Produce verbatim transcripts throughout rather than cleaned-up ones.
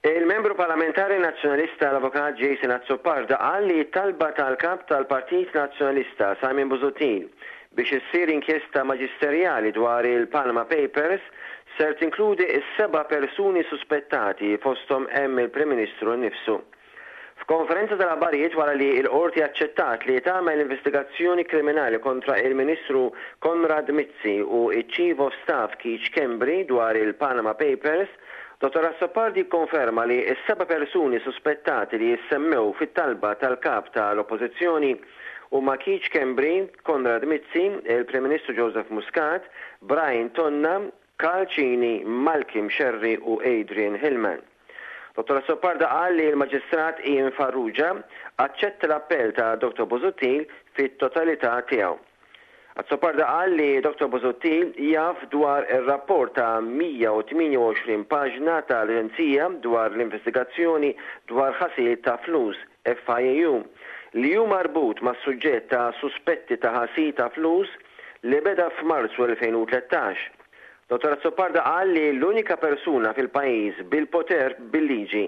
Il-membru parlamentari nazzjonalista, l-avukat Jason Azzopardi, qal li talba tal-kap tal-Partit Nazzjonalista Simon Busuttil biex issir inkjesta maġisterjali dwar il-Panama Papers ser tinkludi s-seba' persuni suspettati, fosthom hemm il-Prim Ministru nnifsu. F'konferenza tal-aħbarijiet wara li l-qorti aċċettat li tagħmel investigazzjoni kriminali kontra il-Ministru Konrad Mizzi u il-Chief of Staff Keith Schembri dwar il-Panama Papers, Dottor Azzopardi konferma li s-seba' persuni suspettati li jissemmew fit-talba tal-kap tal-Oppożizzjoni huma Keith Schembri, Konrad Mizzi, il-Prim Ministru Joseph Muscat, Brian Tonna, Karl Cini, Malcolm Scerri u Adrian Hillman. Dottor Azzopardi qal li l-Maġistrat Ian Farrugia aċċetta l-appell ta' Dottor Busuttil fit-totalità tiegħu. Azzopardi qal li Dottor Busuttil jaf dwar ir-rapport ta' mija u tmienja u għoxrin paġna tal-Aġenzija dwar l-investigazzjoni dwar ħasil ta' flus, F I A U, li hu marbut ma' suġġett ta' suspetti ta' ħasil ta' flus li beda f'Marzu elfejn u tlettax. Dottor Azzopardi qal li l-unika persuna fil-pajjiż bil-poter bil-liġi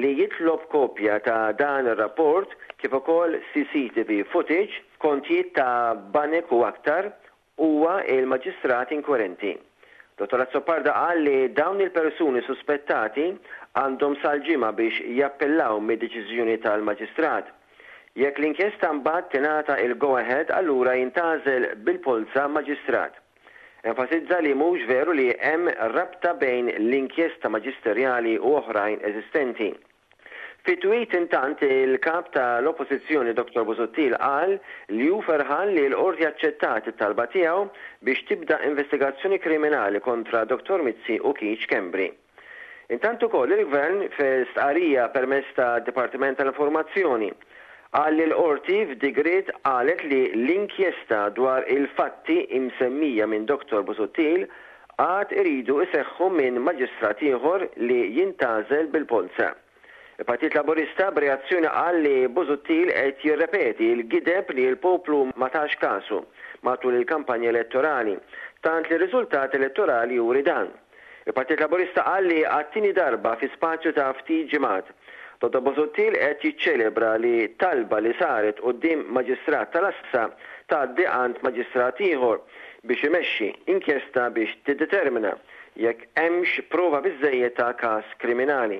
li jitlob kopja ta' dan ir-rapport, kif ukoll C C T V footage, kontijiet ta' banek u aktar, huwa il-maġistrat inkwirenti. Dottor Azzopardi qal li dawn il-persuni suspettati għandhom sal-Ġimgħa biex jappellaw mid-deċiżjoni tal-maġistrat. Jekk l-inkjesta mbagħad tingħata il-go ahead, allura jintgħażel bil-polza maġistrat. Enfasizza li mhux veru li hemm rabta bejn l-inkjesta maġisterjali u oħrajn eżistenti. Fi tweet, intant, il-kap tal-Oppożizzjoni Dottor Busuttil qal li hu ferħan li l-qorti aċċettat it-talba tiegħu biex tibda investigazzjoni kriminali kontra Dottor Mizzi u Keith Schembri. Intant ukoll il-Gvern, fi stqarrija permezz ta' Dipartiment tal-Informazzjoni, qal li l-qorti f'digriet qalet li l-inkjesta dwar il-fatti imsemmija minn Dottor Busuttil għad iridu iseħħu minn maġistrat ieħor li jintgħażel bil-polza. Il-Partit Laburista b'reazzjoni qal li Busuttil qed jirrepeti l-gideb li l-poplu ma tax kasu matul il-kampanja elettorali, tant li r-riżultat elettorali juri dan. Il-Partit Laburista qal li għat-tieni darba fi spazju ta' ftit ġimgħat Dottor Busuttil qed jiċċelebra li talba li saret quddiem maġistrat tal-għassa tgħaddi għand maġistrat ieħor biex imexxi inkjesta biex tiddetermina jekk hemmx prova biżejjed ta' każ kriminali.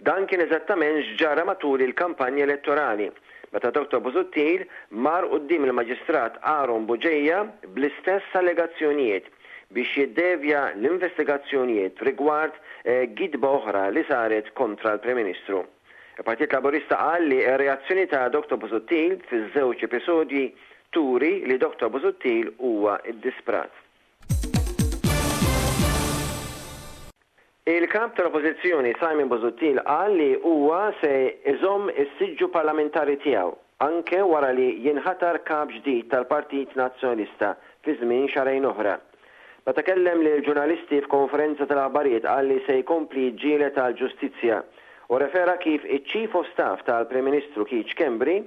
Dan kien eżattament x'ġara matul il-kampanja elettorali, meta Dottor Busuttil mar quddiem il-Maġistrat Aaron Bugeja bl-istess allegazzjonijiet biex jiddevja l-investigazzjonijiet rigward eh, gidba oħra li saret kontra l-Prim Ministru. Il-Partit Laburista qal li r-reazzjoni ta' Dottor Busuttil fiż-żewġ episodji turi li Dottor Busuttil huwa iddisprat. Il-kap tal-Oppożizzjoni Simon Busuttil qal li huwa se iżomm is-siġġu parlamentari tiegħu anke wara li jinħatar kap ġdid tal-Partit Nazzjonalista fi żmien xahrejn oħra. Meta kellem lil ġurnalisti f'konferenza tal-aħbarijiet, qal li se jkompli jiġġieled tal-ġustizzja u refera kif iċ-Chief of Staff tal-Prim Ministru Keith Schembri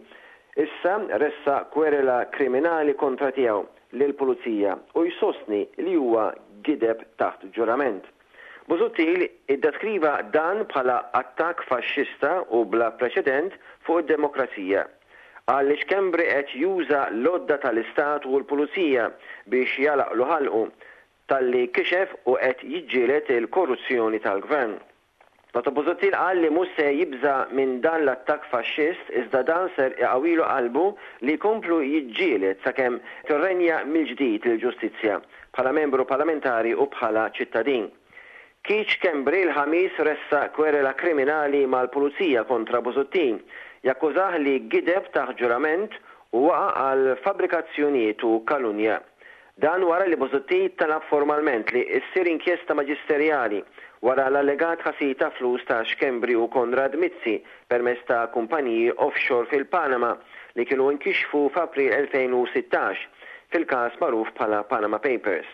issa ressaq kwerela kriminali kontra tiegħu lill-pulizija u jsostni li huwa gideb taħt ġurament. Busuttil iddeskriva dan bħala attakk faxxista u bla preċedent fuq id-demokrazija. Qal li Schembri qed juża l-għodda tal-Istat u l-pulizija biex jagħlaqlu ħalqu talli kixef u qed jiġġieled il-korruzzjoni tal-gvern. Dottor Busuttil qal li mhux se jibża minn dan l-attakk faxxist, iżda dan ser iqawilu qalbu li jkomplu jiġġieled sakemm tirrenja mill-ġdid il-ġustizzja bħala membru parlamentari u bħala ċittadin. Keith Schembri l-Ħamis ressaq kwerela kriminali mal-pulizija kontra Busuttil, jakkużah li gideb taħt ġurament u waqa għal fabbrikazzjonijiet u kalunja. Dan wara li Busuttil talab formalment li issir inkjesta maġisterjali wara l-allegat ħasil ta' flus ta' Schembri u Konrad Mizzi permezz ta' kumpaniji offshore fil-Panama li kienu inkixfu f'April elfejn u sittax fil-każ magħruf bħala Panama Papers.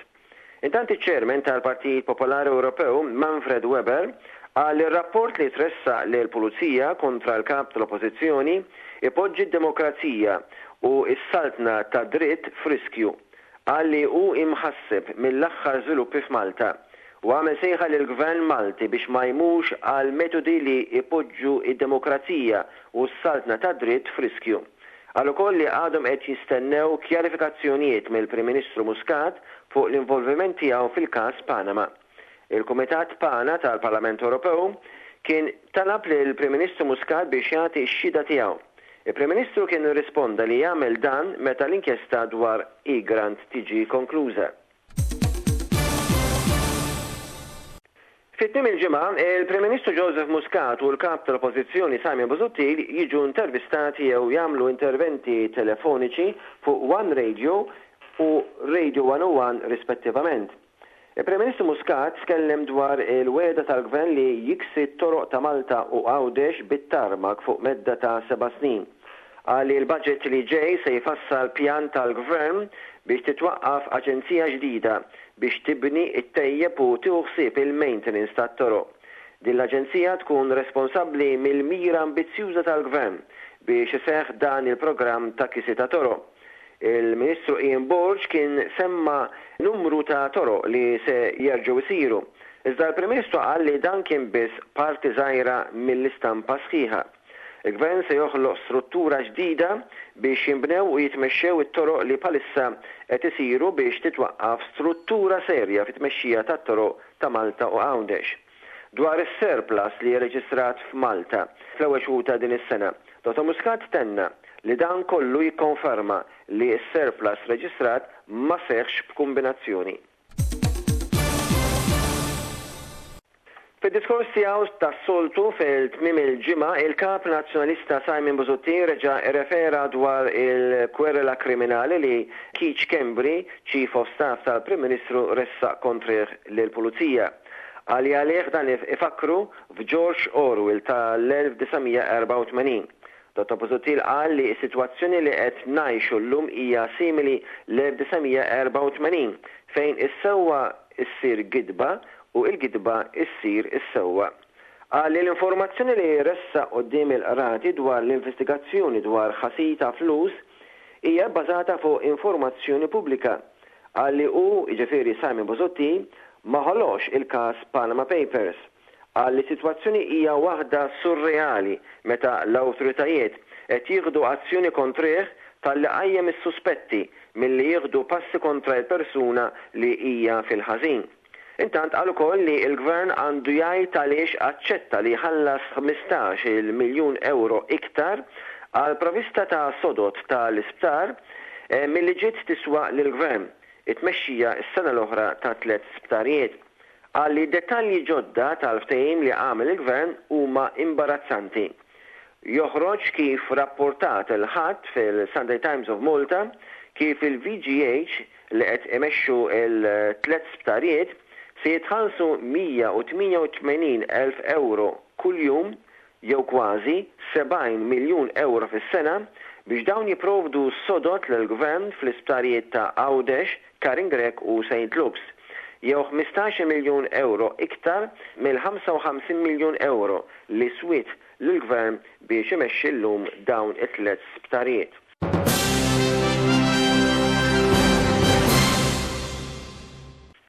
Intant, iċ-chairman tal-Partit Popolari Ewropew Manfred Weber qal li r-rapport li tressaq lil pulizija kontra l-kap tal-Oppożizzjoni ipoġġi d-demokrazija u s-saltna ta' dritt f'riskju. Qal li hu imħasseb mill-aħħar żviluppi f'Malta U għamel sejħa lill-Gvern Malti biex ma jmurx għal metodi li ipoġġu id-demokrazija u s-saltna tad-dritt f'riskju. Qal ukoll li għadhom qed jistennew kjarifikazzjonijiet mill-Prim Ministru Muscat fuq l-involviment tiegħu fil-każ Panama. Il-Kumitat PANA tal-Parlament Ewropew kien talab lill-Prim Ministru Muscat biex jagħti x-xhieda tiegħu. Il-Prim Ministru kien irrisponda li jagħmel dan meta l-inkjesta dwar Egrant tiġi konkluża. Fi tmiem il-ġimgħa, il-Prim Ministru Joseph Muscat u l-Kap tal-Oppożizzjoni Simon Busuttil jiġu intervistati jew jagħmlu interventi telefoniċi fuq One Radio u Radio one oh one rispettivament. Il-Prim Ministru Muscat tkellem dwar il-wegħda tal-Gvern li jiksi t-toroq ta' Malta u Għawdex bit-tarmak fuq medda ta' seba' snin. Qal li l-budget li ġej se jfassal pjan tal-Gvern biex titwaqqaf aġenzija ġdida biex tibni, ittejjeb u tieħu ħsieb il-maintenance tat-toroq. Din l-aġenzija tkun responsabbli mill-mira ambizzjuża tal-Gvern biex iseħħ dan il-programm ta' kisi ta' toroq. Il-Ministru Ian Borg kien semma numru ta' toroq li se jerġgħu jsiru. Iżda l-Prim Ministru qal li dan kien biss parti żgħira mill-istampa sħiħa. Il-Gvern se joħloq struttura ġdida biex jinbnew u jitmexxew it-toroq li bħalissa qed isiru biex titwaqqaf struttura serja fit-tmexxija tat-toroq ta' Malta u Għawdex. Dwar is-surplus li rreġistrat f'Malta fl-ewwel xhur ta' din is-sena, Dottor Muscat tenna li dan kollu jikkonferma li s-surplus reġistrat ma seħħx b'kombinazzjoni. Fid-diskors tiegħu tas-soltu fil-tmiem il-ġimgħa, il-Kap Nazzjonalista Simon Busuttil reġa' rrefera dwar il-kwerela kriminali li Keith Schembri, Chief of Staff tal-Prim Ministru, ressaq kontrih lill-Pulizija. Qal li għalih dan ifakru f'George Orwell tal-elf disa' mija erbgħa u tmenin. Dottor Busuttil qal li s-sitwazzjoni li qed ngħixu llum hija simili l-elf disa' mija erbgħa u tmenin, fejn is-sewwa ssir gidba u l-gidba ssir is-sewwa. Qal li l-informazzjoni li ressaq quddiem il-qrati dwar l-investigazzjoni dwar ħasil ta' flus hija bbażata fuq informazzjoni pubblika. Qal li hu, jiġifieri Simon Busuttil, ma ħoloqx il-każ Panama Papers. Qal li s-sitwazzjoni hija waħda surreali meta l-awtoritajiet qed jieħdu azzjoni kontrih talli qajjem is-suspetti milli jieħdu passi kontra l-persuna li hija fil-ħażin. Intant qal ukoll li l-Gvern għandu jgħid għaliex aċċetta li jħallas ħmistax-il miljun euro iktar għal provvista ta' sodod tal-isptar milli ġiet tiswa lill-Gvern it-tmexxija s-sena l-oħra ta' tliet sptarijiet. Qal li dettalji ġodda tal-ftehim li għamel il-Gvern huma imbarazzanti. Joħroġ kif rapportat il-Ħadd fil-Sunday Times of Malta kif il-V G H li qed imexxu il-tliet sptarijiet se jitħallsu mija u tmienja u tmenin elf euro kuljum jew kważi sebgħin miljun euro fis-sena biex dawn jipprovdu sodod lill-Gvern fl-isptarijiet ta' Għawdex, Karin Grech u Saint Luke's, jew ħmistax miljun euro iktar mill-ħamsa u ħamsin miljun euro li swiet lill-Gvern biex imexxi llum dawn it-tliet sptarijiet.